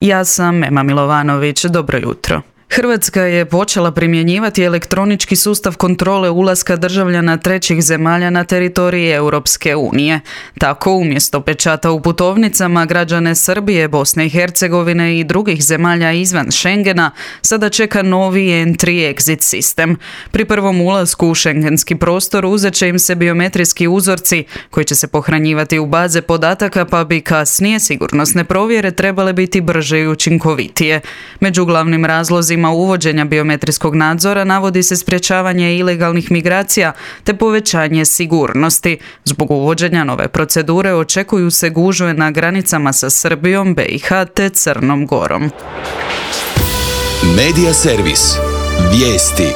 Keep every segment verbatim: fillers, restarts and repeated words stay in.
Ja sam Ema Milovanović, dobro jutro. Hrvatska je počela primjenjivati elektronički sustav kontrole ulaska državljana trećih zemalja na teritoriji Europske unije. Tako, umjesto pečata u putovnicama, građane Srbije, Bosne i Hercegovine i drugih zemalja izvan Schengena sada čeka novi entry-exit sistem. Pri prvom ulasku u šengenski prostor uzet će im se biometrijski uzorci koji će se pohranjivati u baze podataka, pa bi kasnije sigurnosne provjere trebale biti brže i učinkovitije. Među glavnim razlozima uvođenja biometrijskog nadzora navodi se sprječavanje ilegalnih migracija te povećanje sigurnosti. Zbog uvođenja nove procedure očekuju se gužve na granicama sa Srbijom, B i H te Crnom Gorom. Medija servis. Vijesti.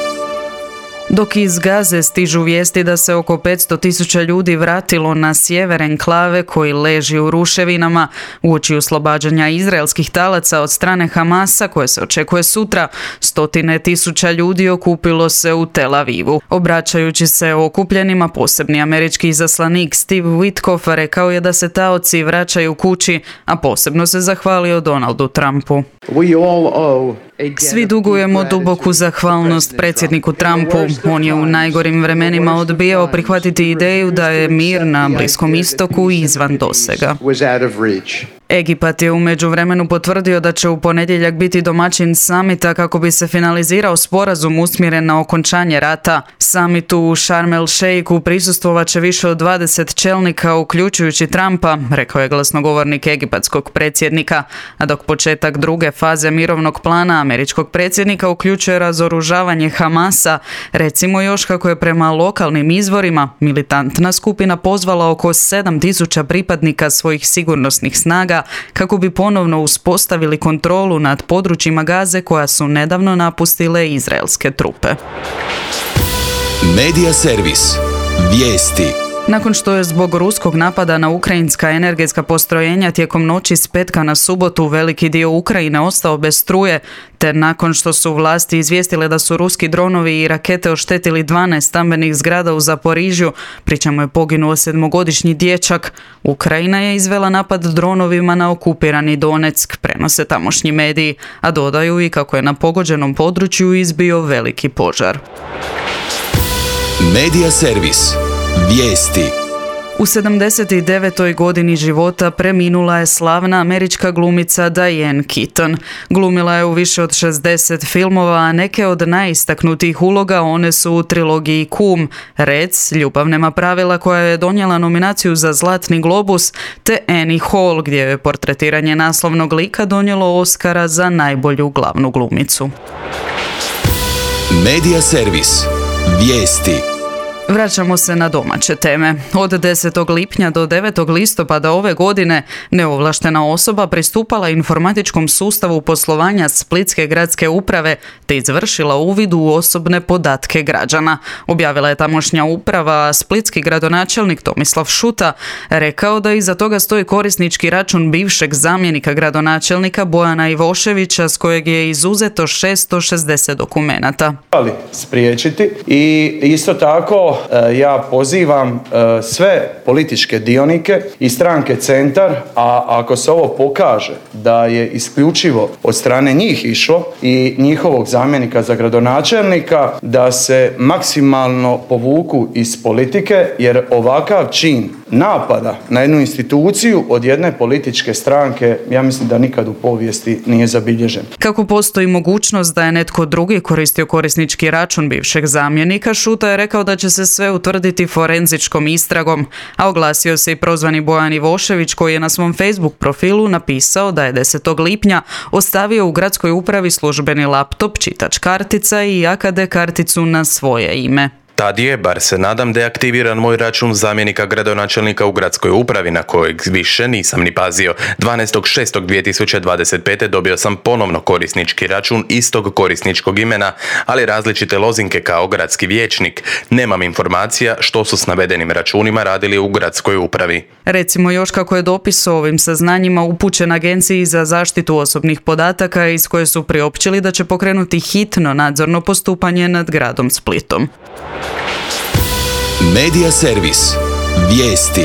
Dok iz Gaze stižu vijesti da se oko petsto tisuća ljudi vratilo na sjever enklave koji leži u ruševinama, uoči oslobađanja izraelskih talaca od strane Hamasa koje se očekuje sutra, stotine tisuća ljudi okupilo se u Tel Avivu. Obraćajući se okupljenima, posebni američki izaslanik Steve Witkoff rekao je da se taoci vraćaju kući, a posebno se zahvalio Donaldu Trumpu. Svi dugujemo duboku zahvalnost predsjedniku Trumpu. On je u najgorim vremenima odbijao prihvatiti ideju da je mir na Bliskom istoku izvan dosega. Egipat je u međuvremenu potvrdio da će u ponedjeljak biti domaćin samita kako bi se finalizirao sporazum usmjeren na okončanje rata. Samitu u Sharm el Sheikhu prisustvovat će više od dvadeset čelnika, uključujući Trumpa, rekao je glasnogovornik egipatskog predsjednika. A dok početak druge faze mirovnog plana američkog predsjednika uključuje razoružavanje Hamasa, recimo još kako je prema lokalnim izvorima militantna skupina pozvala oko sedam tisuća pripadnika svojih sigurnosnih snaga kako bi ponovno uspostavili kontrolu nad područjima Gaze koja su nedavno napustile izraelske trupe. Medija servis. Vijesti. Nakon što je zbog ruskog napada na ukrajinska energetska postrojenja tijekom noći s petka na subotu veliki dio Ukrajine ostao bez struje, te nakon što su vlasti izvijestile da su ruski dronovi i rakete oštetili dvanaest stambenih zgrada u Zaporižju, pri čemu je poginuo sedmogodišnji dječak, Ukrajina je izvela napad dronovima na okupirani Donetsk, prenose tamošnji mediji, a dodaju i kako je na pogođenom području izbio veliki požar. Medija servis. Vijesti. U sedamdeset devetoj godini života preminula je slavna američka glumica Diane Keaton. Glumila je u više od šezdeset filmova, a neke od najistaknutijih uloga one su u trilogiji Kum, Rec, Ljubav nema pravila koja je donijela nominaciju za Zlatni globus, te Annie Hall gdje je portretiranje naslovnog lika donijelo Oscara za najbolju glavnu glumicu. Medija servis. Vijesti. Vraćamo se na domaće teme. Od desetog lipnja do devetog listopada ove godine neovlaštena osoba pristupala informatičkom sustavu poslovanja Splitske gradske uprave te izvršila uvid u osobne podatke građana. Objavila je tamošnja uprava, a splitski gradonačelnik Tomislav Šuta rekao da iza toga stoji korisnički račun bivšeg zamjenika gradonačelnika Bojana Ivoševića s kojeg je izuzeto šesto šezdeset dokumenata. Ali spriječiti i isto tako ja pozivam sve političke dionike i stranke Centar, a ako se ovo pokaže da je isključivo od strane njih išlo i njihovog zamjenika za gradonačelnika, da se maksimalno povuku iz politike, jer ovakav čin napada na jednu instituciju od jedne političke stranke, ja mislim da nikad u povijesti nije zabilježen. Kako postoji mogućnost da je netko drugi koristio korisnički račun bivšeg zamjenika, Šuta je rekao da će se sve utvrditi forenzičkom istragom, a oglasio se i prozvani Bojan Ivošević koji je na svom Facebook profilu napisao da je desetog lipnja ostavio u gradskoj upravi službeni laptop, čitač kartica i A K D karticu na svoje ime. Tad je, bar se nadam, deaktiviran moj račun zamjenika gradonačelnika u gradskoj upravi na kojeg više nisam ni pazio. dvanaestog šestog dvije tisuće dvadeset pete dobio sam ponovno korisnički račun istog korisničkog imena, ali različite lozinke kao gradski vijećnik. Nemam informacija što su s navedenim računima radili u gradskoj upravi. Recimo još kako je dopis o ovim saznanjima upućen Agenciji za zaštitu osobnih podataka iz koje su priopćili da će pokrenuti hitno nadzorno postupanje nad gradom Splitom. Medija servis. Vijesti.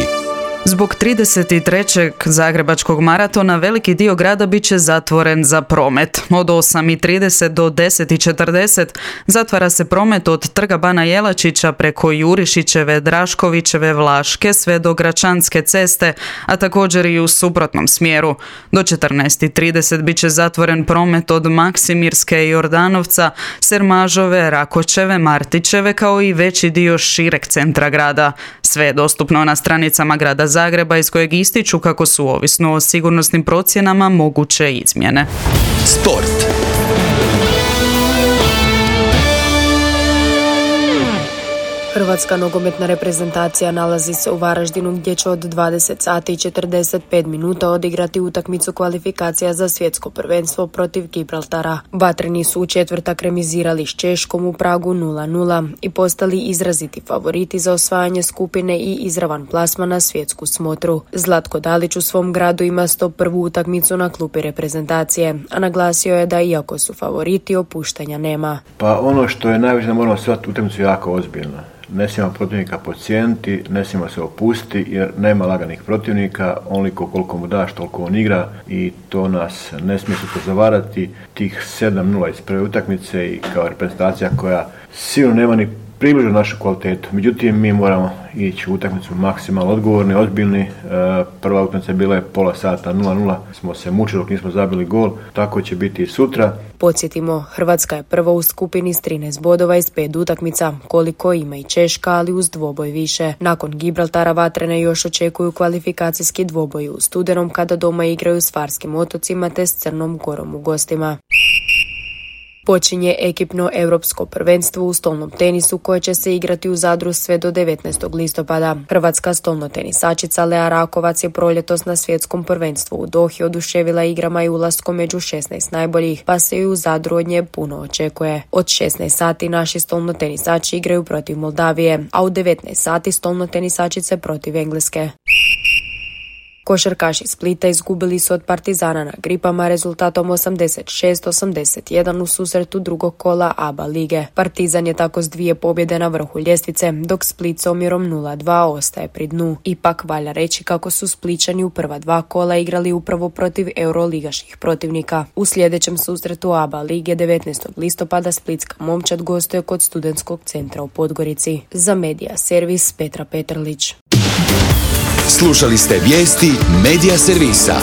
Zbog trideset trećeg zagrebačkog maratona veliki dio grada bit će zatvoren za promet. Od osam i trideset do deset i četrdeset zatvara se promet od Trga Bana Jelačića preko Jurišićeve, Draškovićeve, Vlaške sve do Gračanske ceste, a također i u suprotnom smjeru. Do četrnaest i trideset bit će zatvoren promet od Maksimirske i Jordanovca, Sermažove, Rakočeve, Martićeve kao i veći dio šireg centra grada. Sve je dostupno na stranicama grada Zagreba iz kojeg ističu kako su ovisno o sigurnosnim procjenama moguće izmjene. Sport. Hrvatska nogometna reprezentacija nalazi se u Varaždinu gdje će od dvadeset sati i četrdeset pet minuta odigrati utakmicu kvalifikacija za svjetsko prvenstvo protiv Gibraltara. Vatreni su u četvrtak remizirali s Češkom u Pragu nula nula i postali izraziti favoriti za osvajanje skupine i izravan plasman na svjetsku smotru. Zlatko Dalić u svom gradu ima sto prvu utakmicu na klupi reprezentacije, a naglasio je da iako su favoriti, opuštanja nema. Pa ono što je najvažnije, moramo shvatiti utakmicu jako ozbiljno. Ne smijemo protivnika podcijeniti, ne smijemo se opustiti jer nema laganih protivnika, onoliko koliko mu daš toliko on igra i to nas ne smije se zavarati. Tih sedam nula iz prve utakmice i kao reprezentacija koja sigurno nema ni približno našu kvalitetu. Međutim, mi moramo ići u utakmicu maksimalno odgovorni, ozbiljni. E, prva utakmica bila je pola sata nula nula, smo se mučili dok nismo zabili gol, tako će biti i sutra. Podsjetimo, Hrvatska je prva u skupini s trinaest bodova iz pet utakmica, koliko ima i Češka, ali uz dvoboj više. Nakon Gibraltara Vatrene još očekuju kvalifikacijski dvoboj u studenom kada doma igraju s Farskim otocima te s Crnom Gorom u gostima. Počinje ekipno europsko prvenstvo u stolnom tenisu koje će se igrati u Zadru sve do devetnaestog listopada. Hrvatska stolno tenisačica Lea Rakovac je proljetos na svjetskom prvenstvu u Dohi oduševila igrama i ulaskom među šesnaest najboljih, pa se i u Zadru od nje puno očekuje. Od šesnaest sati naši stolno tenisači igraju protiv Moldavije, a u devetnaest sati stolno tenisačice protiv Engleske. Košarkaši Splita izgubili su od Partizana na Gripama rezultatom osamdeset šest osamdeset jedan u susretu drugog kola A B A lige. Partizan je tako s dvije pobjede na vrhu ljestvice, dok Split s omjerom nula dva ostaje pri dnu. Ipak valja reći kako su Spličani u prva dva kola igrali upravo protiv euroligaških protivnika. U sljedećem susretu A B A lige devetnaestog listopada splitska momčad gostuje kod Studentskog centra u Podgorici. Za Medija servis Petra Petrlić. Slušali ste vijesti Medija servisa.